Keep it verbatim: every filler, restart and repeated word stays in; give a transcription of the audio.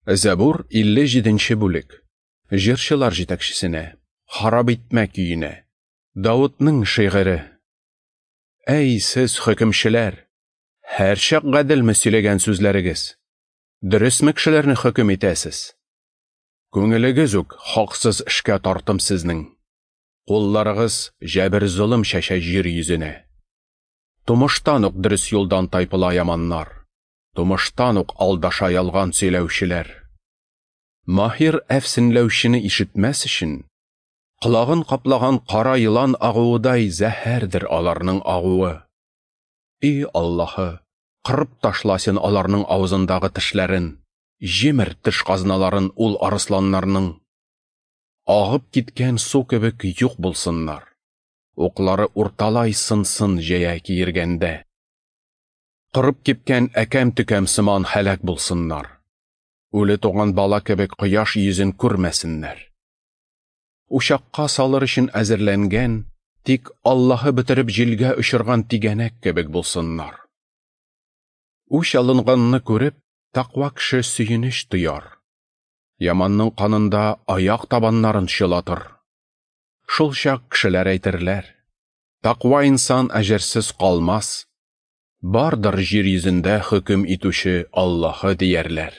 Зәбур илле җиденче бүлек. Җырчылар җитәкчесенә, харап итмә көенә. Давытның шигыре. Әй сез хөкемчеләр, һәрчак гаделме сөйләгән сүзләрегез? Дөресме кешеләрне хөкем итәсез? Күңелегез үк хаксыз эшкә тартым сезнең. Кулларыгыз җәбер-золым чәчә җир йөзенә. Тумыштан ук дөрес юлдан тайпыла яманнар. Тумыштан ук алдаша ялган сөйләүчеләр. Маһир әфсенләүчене ишетмәс өчен, колагын каплаган кара елан агуыдай зәһәрдер аларның агуы. И Аллаһы, кырып ташла син аларның авызындагы тешләрен, җимер теш казналарын ул арысланнарның. Агып киткән су кебек юк булсыннар. Уклары урталай сынсын җәя киергәндә. Корып кипкән әкәм-төкәм сыман һәлак булсыннар. Үле туган бала кебек кояш йөзен күрмәсеннәр. Учакка салыр өчен әзерләнгән, тик Аллаһы бетереп җилгә очырган тигәнәк кебек булсыннар. Үч алынганны күреп, тәкъва кеше сөенеч тояр. Яманның канында аяк табаннарын чылатыр. Шул чак кешеләр әйтерләр: тәкъва инсан әҗерсез калмас. Бардыр җир йөзендә хөкем итүче Аллаһы диярләр.